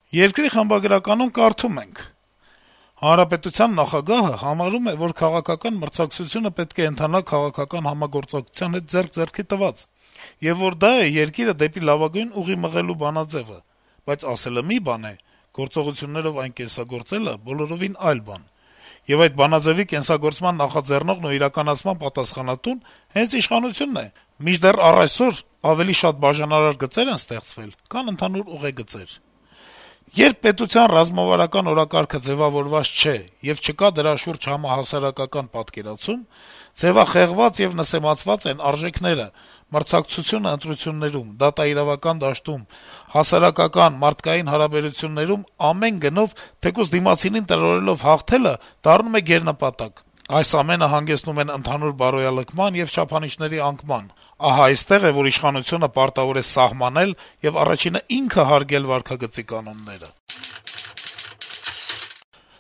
Երկրի խմբագրականում կարդում ենք. - «Հանրապետության նախագահը համարում է, որ քաղաքական մրցակցությունը պետք է ընթանա քաղաքական համագործակցության հետ ձեռք ձեռքի տված, եւ որ դա է երկիրը դեպի լավագույն ուղի մղելու բանաձեւը, բայց ասելը մի բան է, գործողություններով այն կենսագործելը բոլորովին այլ բան: Եվ այդ բանաձեւի կենսագործման նախաձեռնողն ու իրականացման պատասխանատուն հենց իշխանությունն է: Մինչդեռ առ այսօր ավելի շատ բաժանարար գծեր են ստեղծվել, քան ընդհանուր ուղեգծեր: Երբ պետության ռազմավարական օրակարգը ձեւավորված չէ եւ չկա դրա շուրջ համահասարակական պատկերացում, ձեւախեղված եւ նսեմացված են արժեքները, մրցակցությունը ընտրություններում, դատաիրավական դաշտում, հասարակական, մարդկային հարաբերություններում ամեն գնով, թեկուզ դիմացինին տրորելով հաղթելը դառնում է գերնպատակ: Այս ամենը հանգեցնում են ընդհանուր բարոյալքման եւ չափանիշների անկման: Ահա այստեղ է, որ իշխանությունը պարտավոր է սահմանել եւ առաջինը ինքը հարգել վարքագծի կանոնները»: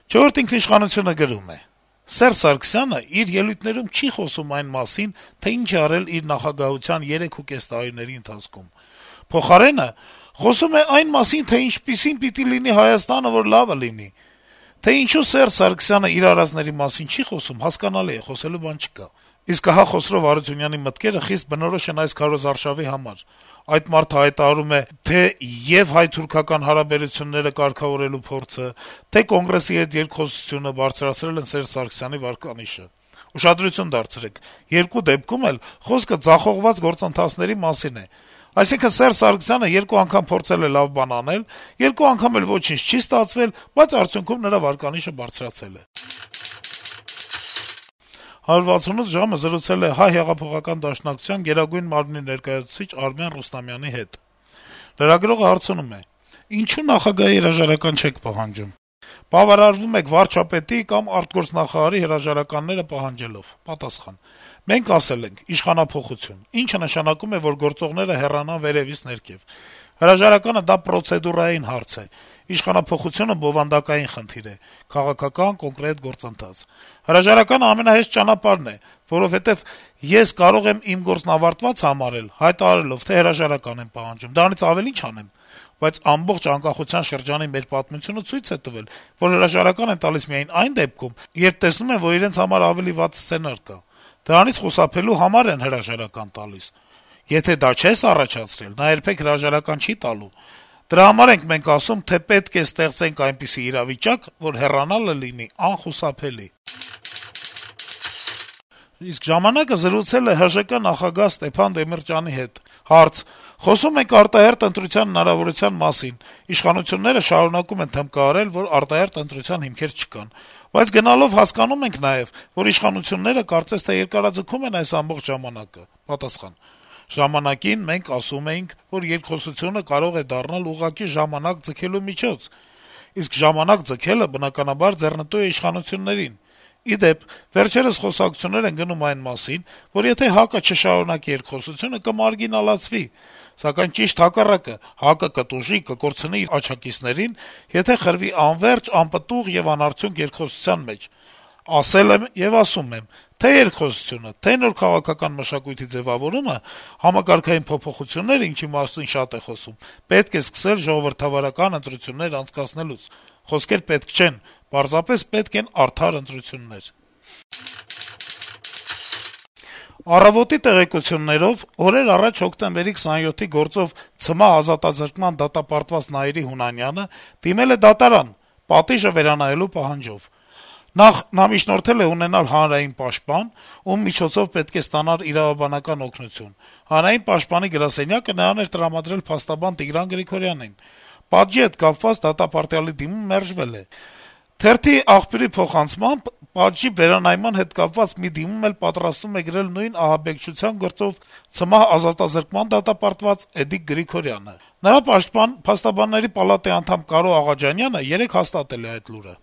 «Չորրորդ ինքնիշխանություն»-ը գրում է. - «Սերժ Սարգսյանը իր ելույթներում չի խոսում այն մասին, թե ինչ է արել իր նախագահության 3.5 տարիների ընթացքում: Փոխարենը, խոսում է այն մասին, թե ինչպիսին պիտի լինի Հայաստանը, որ լավը լինի: Թե ինչու Սերժ Սարգսյանը իր արածների մասին չի խոսում, հասկանալի է, խոսելու բան չկա: Իսկ ահա Խոսրով Հարությունյանի մտքերը խիստ բնորոշ են այս քարոզարշավի համար: Այդ մարդը հայտարարում է թե' եւ հայ-թուրքական հարաբերությունները կարգավորելու փորձը, թե' Կոնգրեսի հետ երկխոսությունը բարձրացրել են Սերժ Սարգսյանի վարկանիշը: Ուշադրություն դարձրեք, երկու դեպքում էլ խոսքը ձախողված գործընթացների մասին է: Այսինքն` Սերժ Սարգսյանը երկու անգամ փորձել է լավ բան անել, երկու անգամ էլ ոչինչ չի ստացվել, բայց արդյունքում նրա վարկանիշը բարձրացել է»: «168 ժամ»-ը զրուցել է Հայ հեղափոխական դաշնակցության Գերագույն մարմնի ներկայացուցիչ Արմեն Ռուստամյանի հետ: Լրագրողը հարցնում է. - «Ինչո՞ւ նախագահի հրաժարական չեք պահանջում»: «Բավարարվում եք վարչապետի կամ արտգործնախարարի հրաժարականները պահանջելով»: Պատասխան. - «Մենք ասել ենք` իշխանափոխություն, ինչը նշանակում է, որ գործողները հեռանան վերեւից ներքեւ: Հրաժարականը դա պրոցեդուրային հարց է, իշխանափոխությունը բովանդակային խնդիր է, քաղաքական, կոնկրետ գործընթաց: Հրաժարականը ամենահեշտ ճանապարհն է, որովհետեւ ես կարող եմ իմ գործն ավարտված համարել` հայտարարելով, թե հրաժարական եմ պահանջում, դրանից ավելի ի՞նչ անեմ: Բայց ամբողջ անկախության շրջանի մեր պատմությունը ցույց է տվել, որ հրաժարական են տալիս միայն այն դեպքում, երբ տեսնում են, որ իրենց համար ավելի վատ սցենար կա: Դրանից խուսափելու համար են հրաժարական տալիս: Եթե դա չես առաջացրել, նա երբեք հրաժարական չի տալու: Դրա համար ենք մենք ասում, թե պետք է ստեղծենք այնպիսի իրավիճակ, որ հեռանալը լինի անխուսափելի»: «Ժամանակ»-ը զրուցել է ՀԺԿ նախագահ Ստեփան Դեմիրճյանի հետ: Հարց. - «Խոսում ենք արտահերթ ընտրության հնարավորության մասին: Իշխանությունները շարունակում են թմկահարել, որ արտահերթ ընտրության հիմքեր չկան: Բայց գնալով հասկանում ենք նաեւ, որ իշխանությունները կարծես թե երկարաձգում են այս ամբողջ ժամանակը»: Պատասխան. - «Ժամանակին մենք ասում էինք, որ երկխոսությունը կարող է դառնալ ուղղակի ժամանակ ձգելու միջոց: Իսկ ժամանակ ձգելը, բնականաբար, ձեռնտու է իշխանություններին: Ի դեպ, վերջերս խոսակցություններ են գնում այն մասին, որ եթե ՀԱԿ-ը չշարունակի երկխոսությունը, կմարգինալացվի: Սակայն ճիշտ հակառակը` ՀԱԿ-ը կտուժի, կկորցնի իր աջակիցներին, եթե խրվի անվերջ, անպտուղ եւ անարդյունք երկխոսության մեջ: Ասել եմ եւ ասում եմ. թե' երկխոսությունը, թե' նոր քաղաքական մշակույթի ձեւավորումը, համակարգային փոփոխությունները, ինչի մասին շատ է խոսում, պետք է սկսել ժողովրդավարական ընտրություններ անցկացնելուց: Խոսքեր պետք չեն, պարզապես պետք են արդար ընտրություններ»: «Առավոտ»-ի տեղեկություններով օրեր առաջ հոկտեմբերի 27-ի գործով ցմահ ազատազրկման դատապարտված Նայիրի Հունանյանը դիմել է դատարան` պատիժը վերանայելու պահանջով: Նախ` նա միջնորդել է ունենալ հանրային պաշտպան, ում միջոցով պետք է ստանար իրավաբանական օգնություն: Հանրային պաշտպանի գրասենյակը նրան էր տրամադրել փաստաբան Տիգրան Գրիգորյանին: Պատժի հետ կապված դատապարտյալի դիմում մերժվել է: Թերթի աղբյուրի փոխանցմամբ, պատժի վերանայման հետ կապված մի դիմում էլ պատրաստվում է գրել նույն ահաբեկչության գործով ցմահ ազատազրկման դատապարտված Էդիկ Գրիգորյանը: Նրա պաշտպան, Փաստաբանների պալատի անդամ Կարո Աղաջանյանը երեկ հաստատել է այդ լուրը: